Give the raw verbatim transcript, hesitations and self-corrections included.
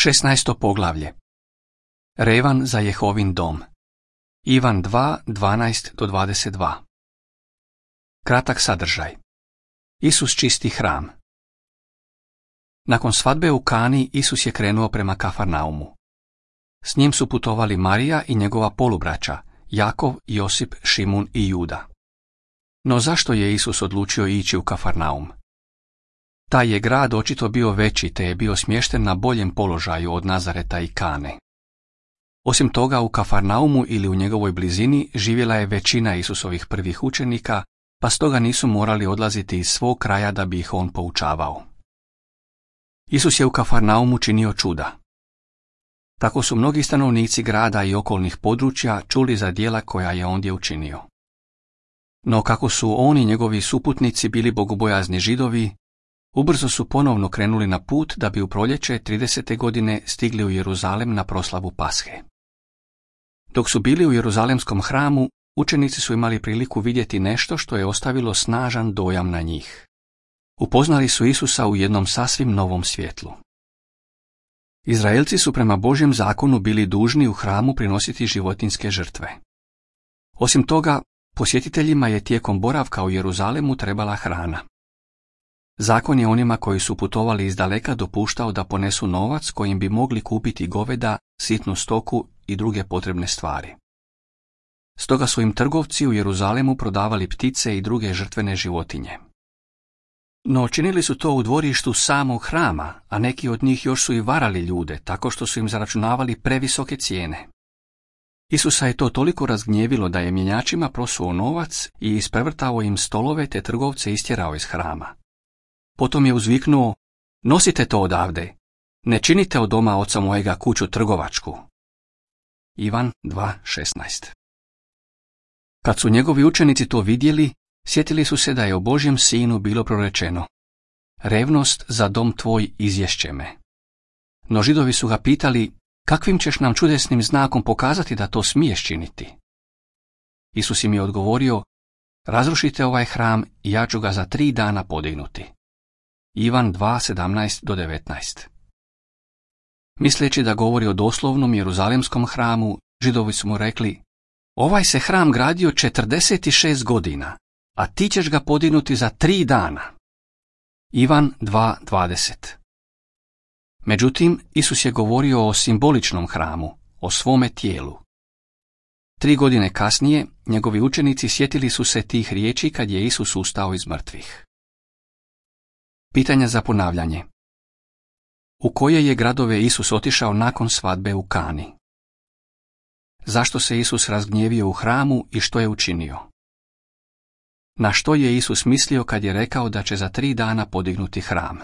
šesnaesto poglavlje. Revan za Jehovin dom. Ivan dva, dvanaest do dvadeset dva. Kratak sadržaj. Isus čisti hram. Nakon svadbe u Kani, Isus je krenuo prema Kafarnaumu. S njim su putovali Marija i njegova polubraća, Jakov, Josip, Šimun i Juda. No zašto je Isus odlučio ići u Kafarnaum? Taj je grad očito bio veći, te je bio smješten na boljem položaju od Nazareta i Kane. Osim toga, u Kafarnaumu ili u njegovoj blizini živjela je većina Isusovih prvih učenika, pa stoga nisu morali odlaziti iz svog kraja da bi ih on poučavao. Isus je u Kafarnaumu činio čuda. Tako su mnogi stanovnici grada i okolnih područja čuli za djela koja je ondje učinio. No kako su oni i njegovi suputnici bili bogobojazni Židovi, ubrzo su ponovno krenuli na put da bi u proljeće tridesete godine stigli u Jeruzalem na proslavu Pashe. Dok su bili u Jeruzalemskom hramu, učenici su imali priliku vidjeti nešto što je ostavilo snažan dojam na njih. Upoznali su Isusa u jednom sasvim novom svjetlu. Izraelci su prema Božjem zakonu bili dužni u hramu prinositi životinjske žrtve. Osim toga, posjetiteljima je tijekom boravka u Jeruzalemu trebala hrana. Zakon je onima koji su putovali iz daleka dopuštao da ponesu novac kojim bi mogli kupiti goveda, sitnu stoku i druge potrebne stvari. Stoga su im trgovci u Jeruzalemu prodavali ptice i druge žrtvene životinje. No činili su to u dvorištu samog hrama, a neki od njih još su i varali ljude, tako što su im zaračunavali previsoke cijene. Isusa je to toliko razgnjevilo da je mjenjačima prosuo novac i isprevrtao im stolove te trgovce istjerao iz hrama. Potom je uzviknuo: "Nosite to odavde, ne činite od doma oca mojega kuću trgovačku." Ivan dva šesnaest. Kad su njegovi učenici to vidjeli, sjetili su se da je o Božjem sinu bilo prorečeno: "Revnost za dom tvoj izješće me." No Židovi su ga pitali: "Kakvim ćeš nam čudesnim znakom pokazati da to smiješ činiti?" Isus im je odgovorio: "Razrušite ovaj hram i ja ću ga za tri dana podignuti." Ivan dva sedamnaest do devetnaest. Misleći da govori o doslovnom Jeruzalemskom hramu, Židovi su mu rekli: "Ovaj se hram gradio četrdeset šest godina, a ti ćeš ga podignuti za tri dana." Ivan dva dvadeset. Međutim, Isus je govorio o simboličnom hramu, o svome tijelu. Tri godine kasnije, njegovi učenici sjetili su se tih riječi kad je Isus ustao iz mrtvih. Pitanja za ponavljanje. U koje je gradove Isus otišao nakon svadbe u Kani? Zašto se Isus razgnjevio u hramu i što je učinio? Na što je Isus mislio kad je rekao da će za tri dana podignuti hram?